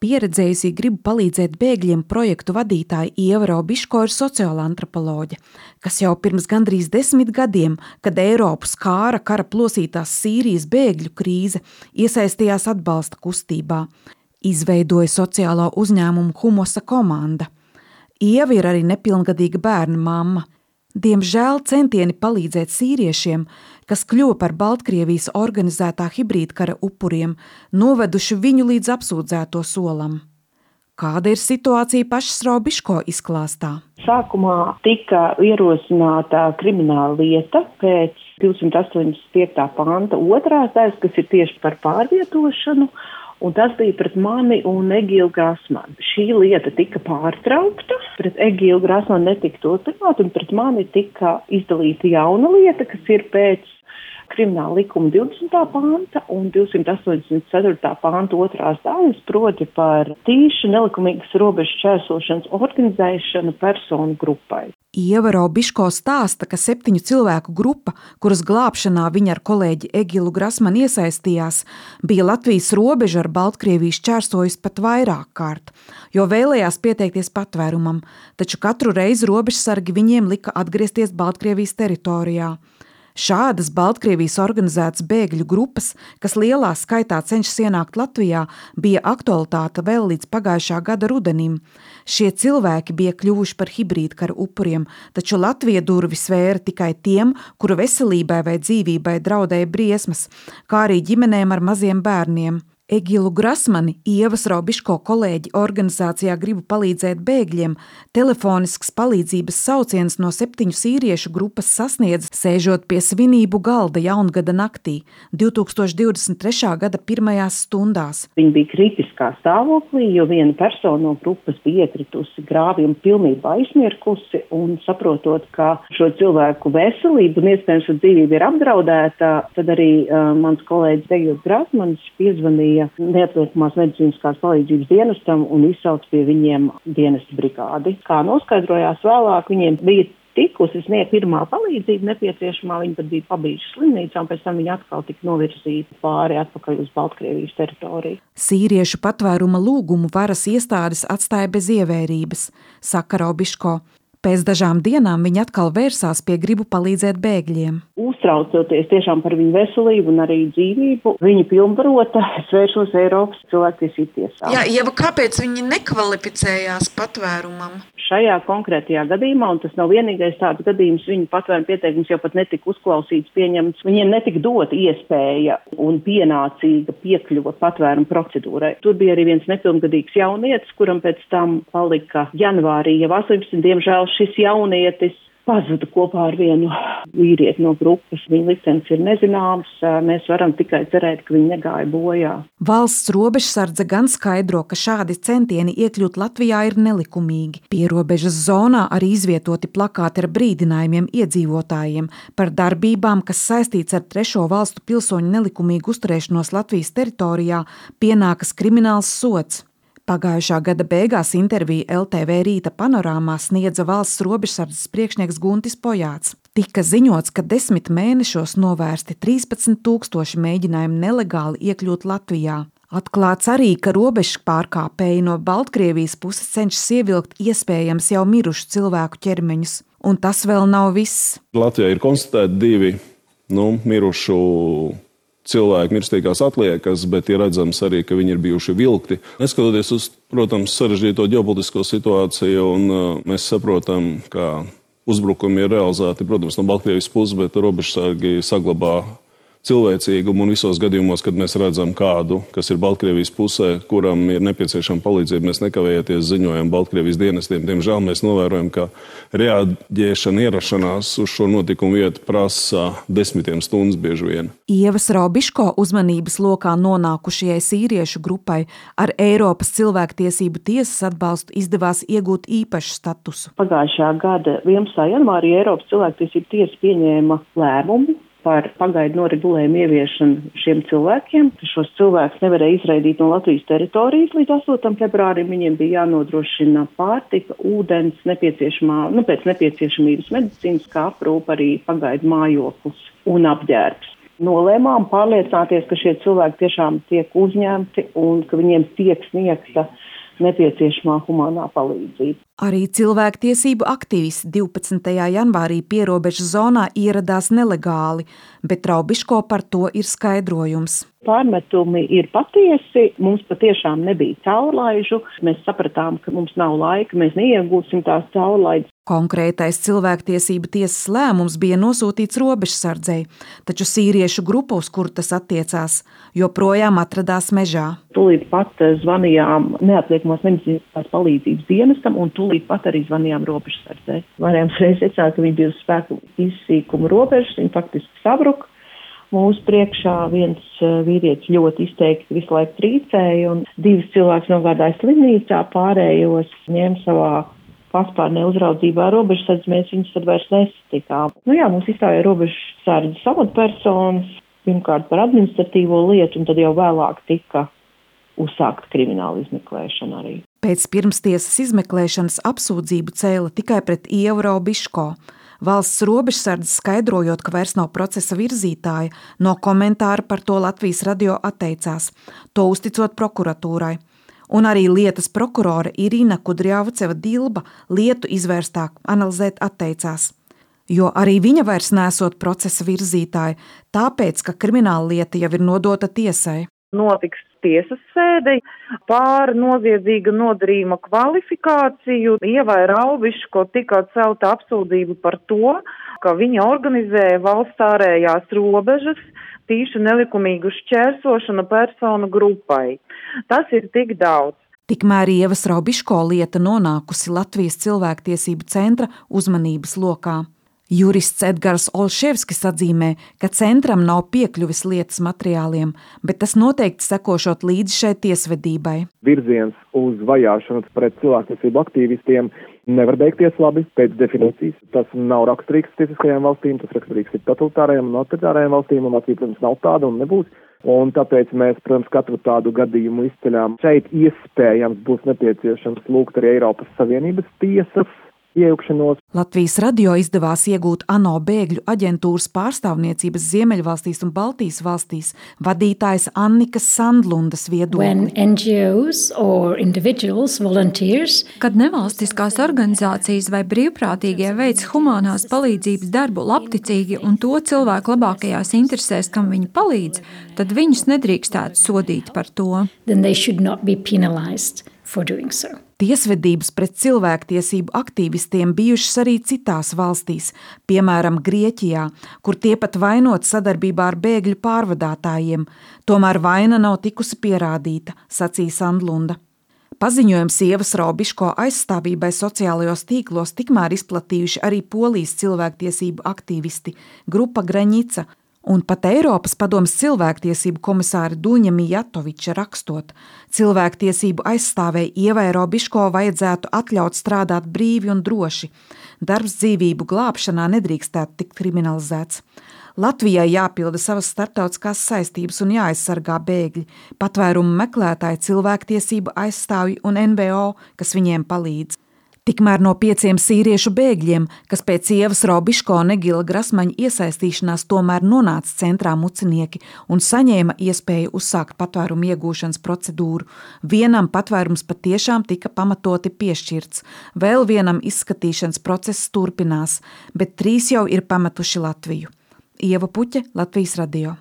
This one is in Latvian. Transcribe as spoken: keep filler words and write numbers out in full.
Pieredzējusī gribu palīdzēt bēgļiem projektu vadītāja Ieva Robiško ir sociāla antropoloģe, kas jau pirms gandrīz desmit gadiem, kad Eiropu skāra kara plosītās Sīrijas bēgļu krīze, iesaistījās atbalsta kustībā. Izveidoja sociālo uzņēmumu Humosa komanda. Ieva ir arī nepilngadīga bērna mamma. Diemžēl centieni palīdzēt sīriešiem, kas kļuva par Baltkrievijas organizētā hibrīdkara upuriem, noveduši viņu līdz apsūdzēto solam. Kāda ir situācija pašas Robiško izklāstā? Sākumā tika ierosināta krimināla lieta pēc divsimt astoņdesmit piekta panta otrās daļas, kas ir tieši par pārvietošanu, un tas bija pret mani un Egilu Grasmanu. Šī lieta tika pārtraukta, pret Egilu Grasmanu netika turpināta, un pret mani tika izdalīta jauna lieta, kas ir pēc krimināla likuma divdesmitā panta un divsimt astoņdesmit ceturtā panta otrās daļas, proti par tīšu nelikumīgas robežu šķērsošanas organizēšanu personu grupai. Ieva Robiško stāsta, ka septiņu cilvēku grupa, kuras glābšanā viņa ar kolēģi Egilu Grasmanu iesaistījās, bija Latvijas robežu ar Baltkrieviju šķērsojusi pat vairāk kārt, jo vēlējās pieteikties patvērumam, taču katru reizi robežsargi viņiem lika atgriezties Baltkrievijas teritorijā. Šādas Baltkrievijas organizētas bēgļu grupas, kas lielā skaitā cenšas ienākt Latvijā, bija aktualitāte vēl līdz pagājušā gada rudenim. Šie cilvēki bija kļuvuši par hibrīdkara upuriem, taču Latvija durvis vēra tikai tiem, kuru veselībai vai dzīvībai draudēja briesmas, kā arī ģimenēm ar maziem bērniem. Egilu Grasmani, Ievas Robiško kolēģi organizācijā Gribu palīdzēt bēgļiem, telefonisks palīdzības sauciens no septiņu sīriešu grupas sasniedz, sēžot pie svinību galda jaungada naktī, divtūkstoš divdesmit trešā gada pirmajās stundās. Viņi bija kritiskā stāvoklī, jo viena persona no grupas bija iekritusi grāvī un pilnībā aizmirkusi, un saprotot, ka šo cilvēku veselību un iespējams dzīvība ir apdraudēta, tad arī uh, mans kolēģis Egils Grasmanis piezvanīja neatliekamās medicīniskās palīdzības dienestam un izsauc pie viņiem dienesta brigādi. Kā noskaidrojās vēlāk, viņiem bija tikusi sniegt pirmā palīdzība nepieciešamā, viņi pat bija pabijuši slimnīcā, un pēc tam viņi atkal tika novirzīti pāri atpakaļ uz Baltkrievijas teritoriju. Sīriešu patvēruma lūgumu varas iestādes atstāja bez ievērības, saka Robiško. Pēc dažām dienām viņi atkal vērsās pie Gribu palīdzēt bēgļiem. Uztraucoties tiešām par viņu veselību un arī dzīvību, viņi pilnvarota svēršos Eiropas cilvēktiesību tiesā. Jā, Ieva, kāpēc viņi nekvalificējās patvērumam? Šajā konkrētajā gadījumā, un tas nav vienīgais tāds gadījums, viņu patvēruma pieteikums jau pat netika uzklausīts, pieņemts, viņiem netika dota iespēja un pienācīga piekļuva patvēruma procedūrai. Tur bija arī viens nepilngadīgs jaunietis, kuram pēc tam palika janvārī jau astoņpadsmit, diemžēl šis jaunietis pazuda kopā ar vienu vīrieti no grupas. Viņa liktenis ir nezināms, mēs varam tikai cerēt, ka viņi negāja bojā. Valsts robežsardze gan skaidro, ka šādi centieni iekļūt Latvijā ir nelikumīgi. Pierobežas zonā arī izvietoti plakāti ar brīdinājumiem iedzīvotājiem par darbībām, kas saistīts ar trešo valstu pilsoņu nelikumīgu uzturēšanos Latvijas teritorijā, pienākas krimināls sods. Pagājušā gada beigās interviju L T V Rīta panorāmā sniedza valsts robežsardzes priekšnieks Guntis Pojāts. Tika ziņots, ka desmit mēnešos novērsti trīspadsmit tūkstoši mēģinājumu nelegāli iekļūt Latvijā. Atklāts arī, ka robežu pārkāpēji no Baltkrievijas puses cenšas ievilkt iespējams jau mirušu cilvēku ķermeņus. Un tas vēl nav viss. Latvijā ir konstatēti divi nu, mirušu cilvēki mirstīgās atliekas, bet ir redzams arī, ka viņi ir bijuši vilkti. Neskatoties uz, protams, sarežģīto ģeopolitisko situāciju, un uh, mēs saprotam, ka uzbrukumi ir realizēti, protams, no Baltkrievijas puses, bet robežsargi saglabā cilvēcīgumu un visos gadījumos, kad mēs redzam kādu, kas ir Baltkrievijas pusē, kuram ir nepieciešama palīdzība, mēs nekavējoties ziņojam Baltkrievijas dienestiem. Diemžēl mēs novērojam, ka reaģēšana, ierašanās uz šo notikumu vietu prasa desmitiem stundas bieži vien. Ievas Robiško uzmanības lokā nonākušajai sīriešu grupai ar Eiropas cilvēktiesību tiesas atbalstu izdevās iegūt īpašu statusu. Pagājušā gada vienpadsmitā janvārī Eiropas cilvēktiesību tiesa pieņēma lēmumu par pagaidu noregulējumu ieviešanu šiem cilvēkiem. Šos cilvēkus nevarēja izraidīt no Latvijas teritorijas līdz astotam februārim. Viņiem bija jānodrošina pārtika, ūdens, nepieciešamā, nu, pēc nepieciešamības medicīniskā aprūpe, arī pagaidu mājoklis un apģērbs. nolēmām pārliecināties, ka šie cilvēki tiešām tiek uzņemti un ka viņiem tiek sniegta nepieciešamā humānā palīdzība. Arī cilvēktiesību aktīvisti divpadsmitajā janvārī pierobežas zonā ieradās nelegāli, bet Raubiško par to ir skaidrojums. Pārmetumi ir patiesi, mums patiešām nebija caurlaižu, mēs sapratām, ka mums nav laika, mēs neiegūsim tās caurlaides. Konkrētais cilvēktiesību tiesas lēmums bija nosūtīts robežsardzei, taču sīriešu grupa, uz kuru tas attiecās, joprojām atradās mežā. Tūlīt pat zvanījām neatliekamās medicīniskās palīdzības dienestam un tūlīt pat arī zvanījām robežsardzei. Varējām reiz secināt, ka viņi bija uz spēku izsīkuma robežas, viņi faktiski sabruka. Mūsu priekšā viens vīrietis ļoti izteikti visu laiku trīcēja un divas cilvēks nogādāja slimnīcā, pārējos ņēma savā paspārnē uzraudzībā robežsardzi, mēs viņus tad vairs nesatikām. Nu jā, mums izstāvēja robežsardzes amatpersonas, pirmkārt par administratīvo lietu, un tad jau vēlāk tika uzsākta krimināla izmeklēšana arī. Pēc pirmstiesas izmeklēšanas apsūdzību cēla tikai pret Ievu Raubiško. Valsts robežsardze skaidrojot, ka vairs nav procesa virzītāja, no komentāra par to Latvijas radio atteicās, to uzticot prokuratūrai. Un arī lietas prokurore Irina Kudrjavceva-Dilba lietu izvērstāk analizēt atteicās. Jo arī viņa vairs nesot procesa virzītāja, tāpēc, ka krimināla lieta jau ir nodota tiesai. Notiks tiesas sēde pār noziedzīga nodarījuma kvalifikāciju. Ievai Raubiško tika celta apsūdzība par to, ka viņa organizēja valsts ārējās robežas tīšu nelikumīgu šķērsošanu personu grupai. Tas ir tik daudz. Tikmēr Ievas Raubiško lieta nonākusi Latvijas cilvēktiesību centra uzmanības lokā. Jurists Edgars Olševskis atzīmē, ka centram nav piekļuvis lietas materiāliem, bet tas noteikti sekošot līdzi šai tiesvedībai. Virziens uz vajāšanu pret cilvēktiesību aktīvistiem nevar beigties labi pēc definīcijas. Tas nav raksturīgs tiesiskajām valstīm, tas raksturīgs ir totalitārajām un autoritārajām valstīm, un Latvija, protams, nav tāda un nebūs. Un tāpēc mēs, protams, katru tādu gadījumu izceļām. Šeit iespējams būs nepieciešams lūgt arī Eiropas Savienības tiesas iejaukšanos. Latvijas radio izdevās iegūt ANO bēgļu aģentūras pārstāvniecības Ziemeļvalstīs un Baltijas valstīs vadītājas Annikas Sandlundas viedokli. Kad nevalstiskās organizācijas vai brīvprātīgie veic humānās palīdzības darbu labticīgi un to cilvēku labākajās interesēs, kam viņi palīdz, tad viņus nedrīkstētu sodīt par to. Tiesvedības pret cilvēktiesību aktīvistiem bijušas arī citās valstīs, piemēram Grieķijā, kur tie pat vainot sadarbībā ar bēgļu pārvadātājiem. Tomēr vaina nav tikusi pierādīta, sacīja Sandlunda. Paziņojums Ievas Raubiško aizstāvībai sociālajos tīklos tikmēr izplatījuši arī Polijas cilvēktiesību aktīvisti grupa Graņica, un pat Eiropas padomes cilvēktiesību komisāra Duņa Mijatoviča rakstot, cilvēktiesību aizstāvēji Ievai Raubiško vajadzētu atļaut strādāt brīvi un droši. Darbs dzīvību glābšanā nedrīkstētu tikt kriminalizēts. Latvijai jāpilda savas starptautiskās saistības un jāaizsargā bēgļi, patvērumu meklētāji, cilvēktiesību aizstāvji un N V O, kas viņiem palīdz. Tikmēr no pieciem sīriešu bēgļiem, kas pēc Ievas Raubiško un Egila Grasmaņa iesaistīšanās tomēr nonāca centrā mucinieki un saņēma iespēju uzsākt patvērumu iegūšanas procedūru, vienam patvērums patiešām tika pamatoti piešķirts, vēl vienam izskatīšanas process turpinās, bet trīs jau ir pametuši Latviju. Ieva Puķe, Latvijas radio.